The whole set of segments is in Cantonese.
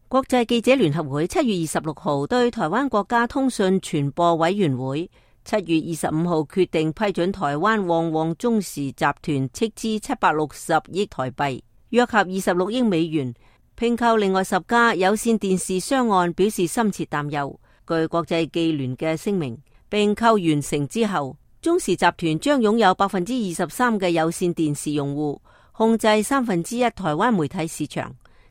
國際記者聯合會7月26號對台灣國家通訊傳播委員會7月25號決定批准台灣旺旺中時集團斥資760億台幣，約合26億美元，併購另外10家有線電視商案，表示深切擔憂。據國際記聯嘅聲明，併購完成之後，中時集團將擁有23%嘅有線電視用戶，控制1/3台灣媒體市場。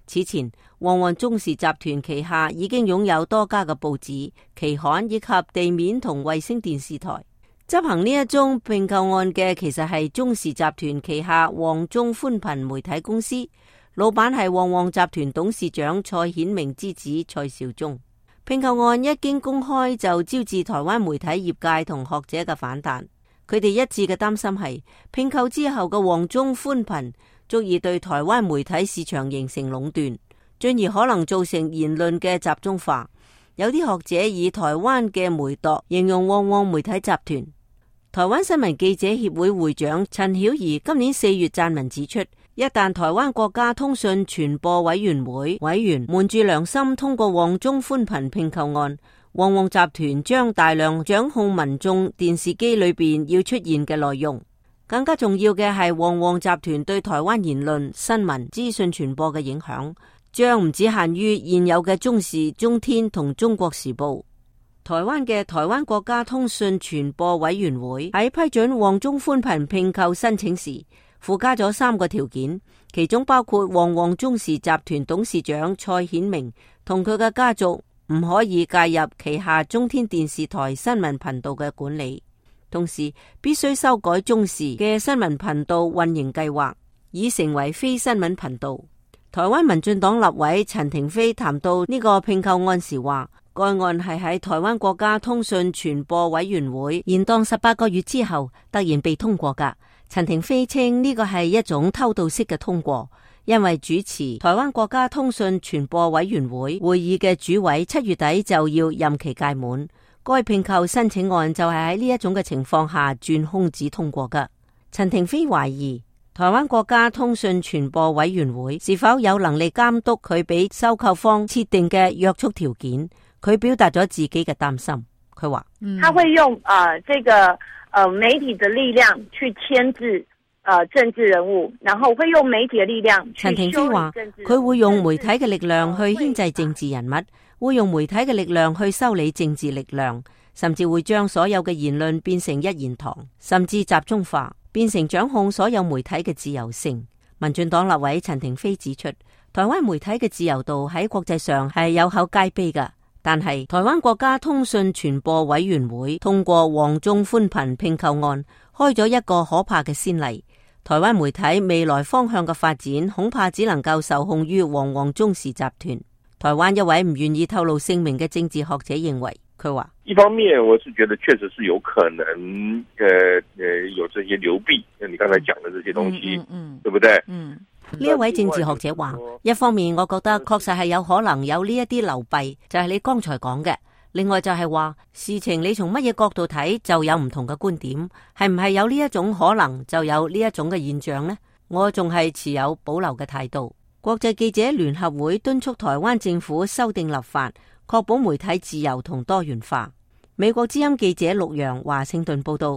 此前，旺旺中時集團旗下已經擁有多家嘅報紙、期刊以及地面同衛星電視台。執行呢一宗併購案嘅其實係中時集團旗下旺中寬頻媒體公司，老闆係旺旺集團董事長蔡顯明之子蔡兆忠。併購案一經公開就招致台灣媒體業界同學者嘅反彈，佢哋一致嘅擔心係併購之後嘅旺中寬頻足以對台灣媒體市場形成壟斷，進而可能造成言論嘅集中化。有啲學者以台灣嘅媒鐸形容旺旺媒體集團。台灣新聞記者協會會長陳曉儀今年4月撰文指出，一旦台灣國家通訊傳播委員會委員瞞住良心通過旺中寬頻併購案，旺旺集團將大量掌控民眾電視機裏邊要出現嘅內容。更加重要嘅係，旺旺集團對台灣言論、新聞、資訊傳播嘅影響，將唔只限於現有嘅中視、中天同中國時報。台灣嘅台灣國家通訊傳播委員會喺批准旺中寬頻併購申請時，附加咗3個條件，其中包括旺旺中時集團董事長蔡顯明同佢嘅家族唔可以介入旗下中天電視台新聞頻道嘅管理。同時必須修改中視嘅新聞頻道運營計劃，以成為非新聞頻道。台灣民進黨立委陳亭妃談到呢個併購案時話，該案係喺台灣國家通訊傳播委員會延宕18個月之後突然被通過㗎。陳亭妃稱呢個係一種偷渡式嘅通過，因為主持台灣國家通訊傳播委員會會議嘅主委7月底就要任期屆滿。該併購申請案就係喺呢一種嘅情況下轉空子通過嘅。陳亭妃懷疑台灣國家通訊傳播委員會是否有能力監督佢俾收購方設定嘅約束條件。佢表達咗自己嘅擔心，佢話：他會用這個媒體的力量去牽制政治人物，然後會用媒體嘅力量。陳亭妃話：佢會用媒體嘅力量去牽制政治人物。會用媒體嘅力量去修理政治力量，甚至會將所有嘅言論變成一言堂，甚至集中化，變成掌控所有媒體嘅自由性。民進黨立委陳亭妃指出，台灣媒體嘅自由度喺國際上係有口皆碑嘅，但係台灣國家通訊傳播委員會通過旺中寬頻併購案，開咗一個可怕嘅先例。台灣媒體未來方向嘅發展，恐怕只能夠受控於旺旺中時集團。台灣一位唔願意透露姓名嘅政治學者認為，佢話：一方面我是覺得確實是有可能，有這些流弊，像你剛才講的這些東西，對不對？呢一位政治學者話，一方面我覺得確實係有可能有呢一啲流弊，就係你剛才講嘅。另外就係話，事情你從乜嘢角度睇就有唔同嘅觀點，係唔係有呢一種可能就有呢一種嘅現象呢？我仲係持有保留嘅態度。國際記者聯合會敦促台灣政府修訂立法，確保媒體自由同多元化。美國之音記者陸洋華盛頓報道。